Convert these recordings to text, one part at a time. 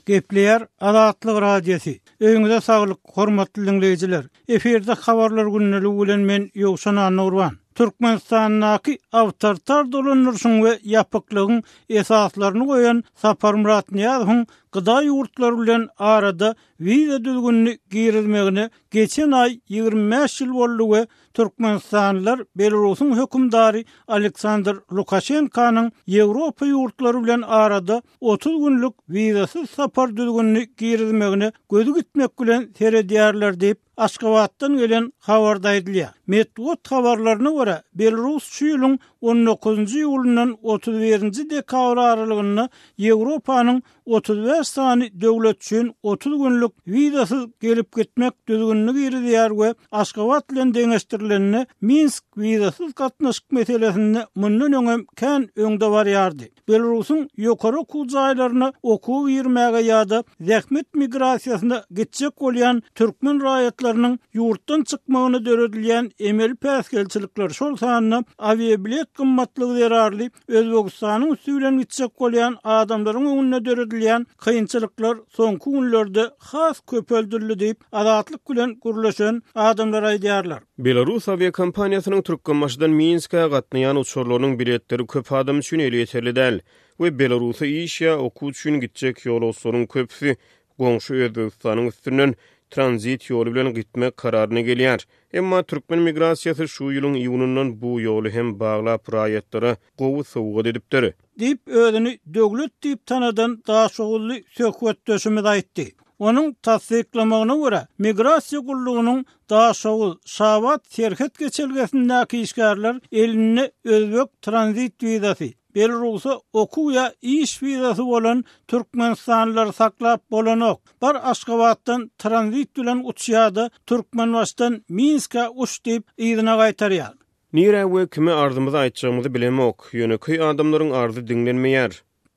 Gepleýär Azatlyk Radiosy. Öýüňize saglyk, hormatly diňleýjiler! Efirde Habarlar gündeligi bilen men Ýowşan Annagurban. Türkmenistandaky awtoritar dolandyryşyň we ýapyklygyň esaslaryny goýan Saparmyrat Nyýazowyň gda ýurtlary bilen arada wiza düzgünini girizmegine geçen aý 25 ýyl boldy we Türkmenistanlylar Belarusyň hökümdary Aleksandr Lukaşenkanyň Ýewropa ýurtlary bilen arada 30 günlük wizasyz sapar düzgünini girizmegine gözi gitmek bilen seredýärler diýip, Aşgabatdan gelen habarda aýdylýar. Metbugat habarlaryna görä, Belarus şu ýylyň on dokuzynjy iýulyndan 31 nji dekabr aralygynda Ýewropanyň 35 sany döwlet üçin 30 günlük wizasyz gelip-gitmek düzgünini girizýär we Aşgabat bilen deňeşdirilende Minsk wizasyz gatnaşyk meselesinde mundan öňem kän öňde barýardy. Belarusyň ýokary okuw jaýlaryna okuwa girmäge ýa-da zähmet migrasiýasyna gitjek bolýan türkmen raýatlarynyň ýurtdan çykmagyna döredilýän emeli päsgelçilikler, şol sanda awiabilet gymmatlygy zerarly Özbegistanyň üsti bilen gitjek bolýan adamlaryň öňünde döredilýän kynçylyklar soňky günlerde has köpeldildi diýip, Azatlyk bilen gürleşen adamlar aýdýarlar. Belarus awiakompaniýasynyň Türkmenbaşydan Minskä gatnaýan uçarlarynyň biletleri köp adam üçin elýeterli däl we Belarusa iş ýa okuw üçin gitjek ýolagçylaryň köpüsi goňşy Özbegistanyň üstünden tranzit ýoly bilen gitmek kararyna gelýär. Emma türkmen migrasiýasy şu ýylyň iýunyndan bu ýoly hem baglap raýatlara gowy sowgat edipdir. Diýip, özüni Döwlet diýip tanadan daşoguzly söhbetdeşimiz aýtdy. Onuň tassyklamagyna görä, migrasiýa gullugynyň Daşoguz, Şabat serhet geçelgesindäki işgärler elinde özbek tranzit wizasy, Belarusa okuw ýa iş wizasy bolan türkmenistanlylary saklap bolanok. Bar Aşgabatdan tranzit bilen uç ýa-da Türkmenbaşydan Minskä uç diýip yzyna gaýtarýar. Nirä we kime arzymyzy aýtjagymyzy bilemok. Ýönekeý adamlaryň arzy diňlenmeýär.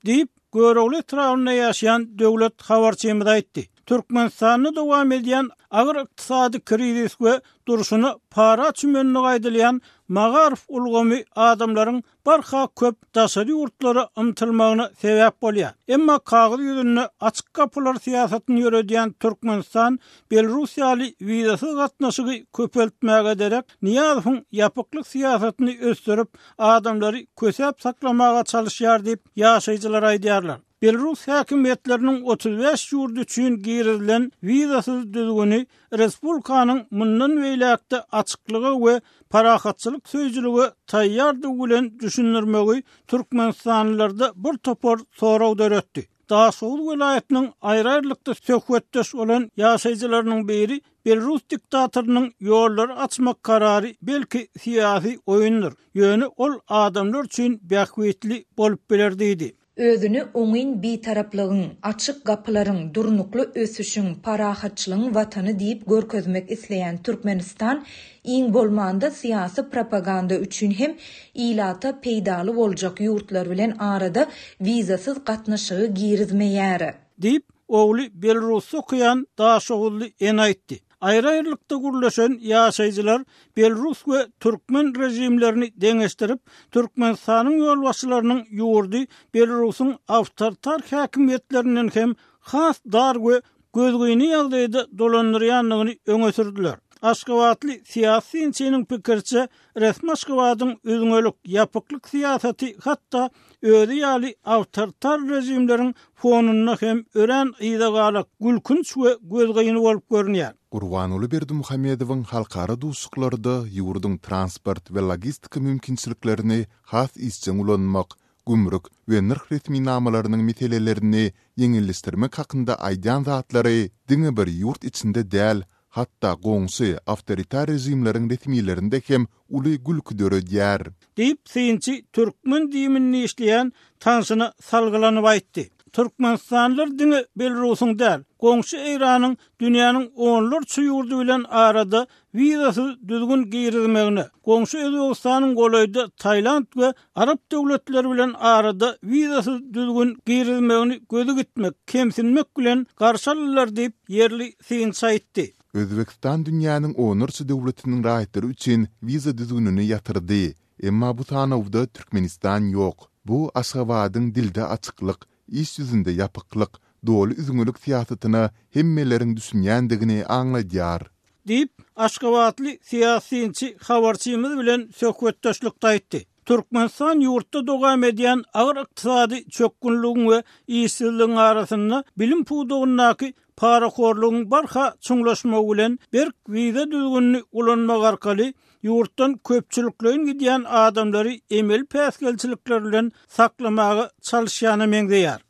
Diýip, Görogly etrabynda ýaşaýan Döwlet habarçymyz aýtdy. Türkmenistanda dowam edýän agyr ykdysady krizis we durşuna para çümenligi aýdylýan magaryf ulgamy adamlaryň barha köp daşary ýurtlara ymtylmagyna sebäp bolýar. Emma kagyz ýüzünde açyk gapylar syýasatyny ýöredýän Türkmenistan Belarus ýaly wizasyz gatnaşygy köpeltmäge derek, Nyýazowyň ýapyklyk syýasatyny ösdürip, adamlary kösäp saklamaga çalyşýar diýip, ýaşaýjylar aýdýarlar. Belarus häkimiýetleriniň 35 ýurt üçin girizilen wizasyz düzgüni respublikanyň mundan beýläk-de açyklyga we parahatçylyk söýüjilige taýýardygy bilen düşündirmegi türkmenistanlylarda bir topar sorag döretdi. Daşoguz welaýatynyň aýry-aýrylykda söhbetdeş bolan ýaşaýjylarynyň biri belarus diktatorynyň ýollary açmak karary belki syýasy oýundyr, ýöne ol adamlar üçin bähbitli bolup biler diýdi. Özüni oňyn Bitaraplygyň, açyk gapylaryň, durnukly ösüşiň, parahatçylygyň Watany diýip görkezmek isleýän Türkmenistan iň bolmanda syýasy propaganda üçin hem ilata peýdaly boljak ýurtlar bilen arada wizasyz gatnaşygy girizmeýär. Diýip, ogly Belarusda okaýan daşoguzly ene aýtdy. Aýry-aýrylykda gürleşen ýaşaýjylar belarus we türkmen režimlerini deňeşdirip, Türkmenistanyň ýolbaşçylarynyň ýurdy Belarusyň awtoritar häkimiýetlerinden hem has dar we gözgyny ýagdaýda dolandyrýandygyny öňe sürdüler. Aşgabatly syýasy synçynyň pikiriçe, resmi Aşgabadyň üzňelik, ýapyklyk syýasaty hatda özi ýaly awtoritar režimleriň fonunda hem örän yzagalak, gülkünç we gözgyny bolup görünýär. Gurbanguly Berdimuhamedowyň halkara duşuşyklarda ýurduň transport we logistika mümkinçiliklerini has işjeň ulanmak, gümrük we nyrh resminamalarynyň meselelerini ýeňilleşdirmek hakynda aýdýan zatlary diňe bir ýurt içinde däl, hatda goňşy awtoritar režimleriň resmilerinde hem uly gülki döredýär. Diýip, synçy türkmen DIM-inde işleýän tanşyna salgylanyp aýtdy. Türkmenistanlylar diňe Belarusyň däl, goňşy Eýranyň dünýäniň onlarça ýurdy bilen arada wizasyz düzgün girizmegine, goňşy Özbegistanyň golaýda Tailand we arap döwletleri bilen arada wizasyz düzgün girizmegini gözi gitmek, kemsinmek bilen garşy aldylar diýip, ýerli synçy aýtdy. Özbegistan dünýäniň onlarça döwletiniň raýatlary üçin wiza düzgünini ýatyrdy. Emma bu sanawda Türkmenistan ýok. Bu Aşgabadyň dilde açyklyk, iş ýüzünde ýapyklyk. doly üzňelik syýasatyna hemmeleriň düşünýändigini aňladýar. Diýip, aşgabatly syýasy synçy habarçymyz bilen söhbetdeşlikde aýtdy. Türkmenistan ýurtda dowam edýän agyr ykdysady çökgünligiň we işsizligiň arasynda bilim pudagyndaky parahorlugyň barha çuňlaşmagy bilen berk wiza düzgünini ulanmak arkaly ýurtdan köpçülikleýin gidýän adamlary emeli päsgelçilikler bilen saklamaga çalyşýana meňzeýär.